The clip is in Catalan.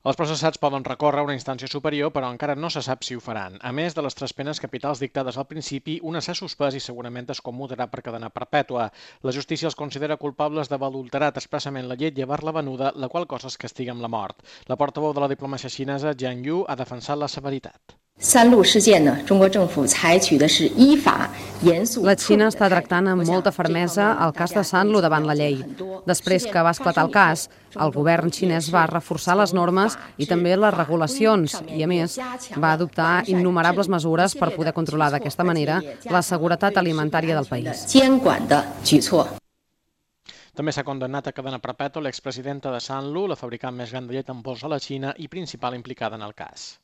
Els processats poden recórrer a una instància superior, però encara no se sap si ho faran. A més de les 3 penes capitals dictades al principi, una s'ha suspès i segurament es commutarà per cadena perpètua. La justícia els considera culpables d'haver adulterat expressament la llet i haver-la venuda, la qual cosa es castiga amb la mort. La portaveu de la diplomàcia xinesa, Jiang Yu, ha defensat la severitat. La Xina està tractant amb molta fermesa el cas de Sanlu davant la llei. Després que va esclatar el cas, el govern xinès va reforçar les normes i també les regulacions i, a més, va adoptar innumerables mesures per poder controlar d'aquesta manera la seguretat alimentària del país. També s'ha condemnat a cadena perpètua l'expresidenta de Sanlu, la fabricant més gran de llet en pols a la Xina i principal implicada en el cas.